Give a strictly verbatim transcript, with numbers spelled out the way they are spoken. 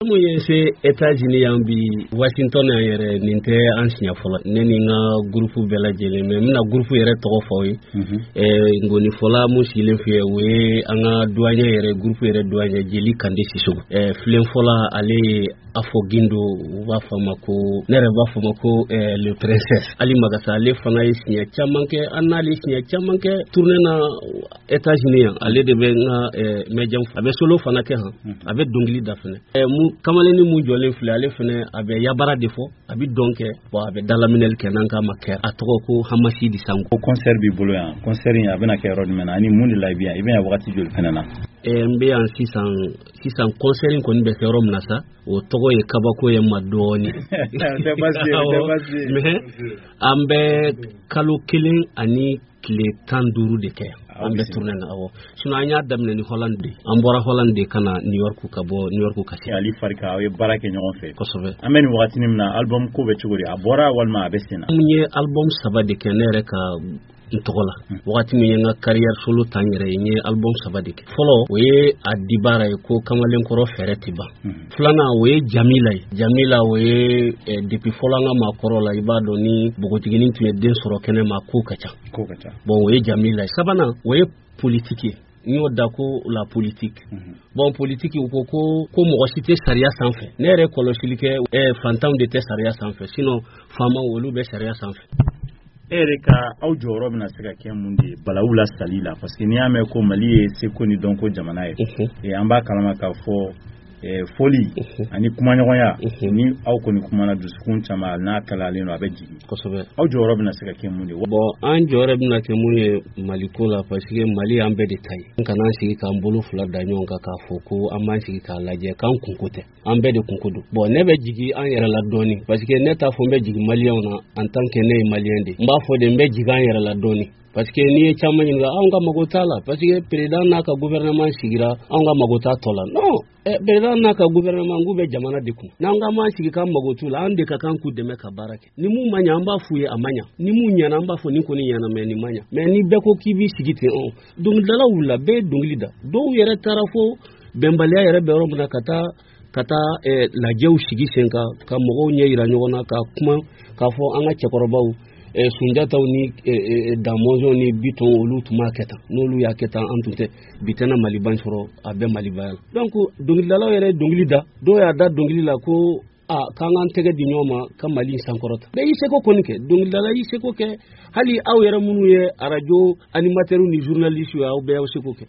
Mun ye se États-Unis yan bi, Washington yan yɛrɛ, nin tɛ an siɲɛ fɔlɔ, ne ni n ka groupe bɛɛ lajɛlen. Mais n bɛna groupe yɛrɛ tɔgɔ fɔ aw ye. Ngɔnifɔla mun sigilen filɛ, o ye an ka doyen yɛrɛ, groupe yɛrɛ doyen, Jeli Kande Sisoko. Filenfɔla, ale ye Afɔ Gindo, u b'a fɔ a ma ko, ne yɛrɛ b'a fɔ a ma ko le princesse Ali Magasa. Ale fana ye siɲɛ caman kɛ, an n'ale siɲɛ caman kɛ tournée na États-Unis yan. Ale de bɛ n ka médium, a bɛ solo fana kɛ han, a bɛ dɔnkili da fɛnɛ. Kamalennin mun jɔlen filɛ, ale fɛnɛ a bɛ yabara de fɔ, a bɛ dɔn kɛ, bon, a bɛ dalaminɛli kɛ, n'an k'a ma kɛ, a tɔgɔ ko Hamasidi Sango. Ko concert b'i bolo yan, concert in a bɛna kɛ yɔrɔ jumɛn na ani mun de la i bɛ yan, i bɛ yan wagati joli fɛnɛ na? N bɛ yan sisan sisan. Concert in kɔni bɛ kɛ yɔrɔ min na sa, o tɔgɔ ye kabako ye ma dɔɔni, mais an bɛ kalo kelen ani tile tan duuru de kɛ, an bɛ tournée na. Awɔ, sinon an y'a daminɛ ni Hollande de, an bɔra Hollande de ka na New York, ka bɔ New York ka se. Ali Farika, aw ye baara kɛ ɲɔgɔn fɛ. Kosɛbɛ. An bɛ nin wagatinin min na, album ko bɛ cogo di? A bɔra walima a bɛ sen na? N ye album saba de kɛ ne yɛrɛ ka n tɔgɔ la. Wagati min ye n ka carrière solo ta n yɛrɛ ye, n ye album saba de kɛ. Fɔlɔ, o ye a dibara ye ko Kamalenkɔrɔ fɛɛrɛ tɛ ban. Filanan, o ye Jamila ye. Jamila, o ye depuis fɔlɔ an ka maakɔrɔ la, i b'a dɔn ni npogotiginin tun ye den sɔrɔ kɛnɛ ma, ko ka ca. Ko ka ca. Bon, o ye Jamila ye. Sabanan, o ye politique ye, n y'o da ko la politique. Bon, politique, u ko ko ko mɔgɔ si tɛ sariya sanfɛ. Ne yɛrɛ kɔlɔsili kɛ, fantanw de tɛ sariya sanfɛ, sinon faamaw, olu bɛ sariya sanfɛ. E yɛrɛ ka aw jɔyɔrɔ bɛna se ka kɛ mun de ye balawu la sali la? Parce que n'i y'a mɛn ko Mali ye seko ni dɔnko jamana ye, an b'a kalama k'a fɔ fɔli ani kumaɲɔgɔnya, ni aw kɔni kumana, dusukun caman n'a kalayalen don, a bɛ jigin. Kosɛbɛ. Aw jɔyɔrɔ bɛna se ka kɛ mun de ye? Bon, an jɔyɔrɔ bɛna kɛ mun ye Maliko la? Parce que Mali y'an bɛɛ de ta ye. An kana sigi k'an bolo fila da ɲɔgɔn kan k'a fɔ ko an b'an sigi k'a lajɛ k'an kunko tɛ, an bɛɛ de kunko don. Bon, ne bɛ jigin an yɛrɛ la dɔɔni, parce que ne t'a fɔ n bɛ jigin maliyɛnw na en tant que ne ye maliyɛn de, n b'a fɔ de n bɛ jigin an yɛrɛ la dɔɔni, parce que n'i ye caman ɲininka, anw ka mago t'a la, parce que président n'a ka gouvernement sigira, anw ka mago t'a tɔ la. Non, président n'a ka gouvernement k'u bɛ jamana de kun, n'an ka m'an sigi k'an mago t'u la, an de ka kan k'u dɛmɛ ka baara kɛ. Ni mun ma ɲɛ, an b'a f'u ye a ma ɲɛ. Ni mun ɲɛna, an b'a fɔ nin kɔni ɲɛna, mais nin ma ɲɛ. Mais ni bɛɛ ko k'i b'i sigi ten, ɔn dɔnkilidalaw wulila, bɛɛ ye dɔnkili da, dɔw yɛrɛ taara fo bɛnbaliya yɛrɛ bɛ yɔrɔ min na, ka taa ka taa lajɛw sigi sen kan, ka mɔgɔw ɲɛ yira ɲɔgɔn na, ka kuma k'a fɔ an ka cɛkɔrɔbaw, Sunjataw ni Damɔzɔn ni Bitɔn, olu tun b'a kɛ tan, n'olu y'a kɛ tan, an tun tɛ bi tɛna Maliba sɔrɔ, a bɛ Malibaya la. Donc dɔnkilidalaw yɛrɛ ye dɔnkili da, dɔw y'a da dɔnkili la ko a k'an k'an tɛgɛ di ɲɔgɔn ma ka Mali in sankɔrɔta. Bɛɛ y'i seko kɔni kɛ, dɔnkilidala y'i seko kɛ, hali aw yɛrɛ minnu ye arajo animateurs ni journalistes ye, aw bɛɛ y'aw seko kɛ.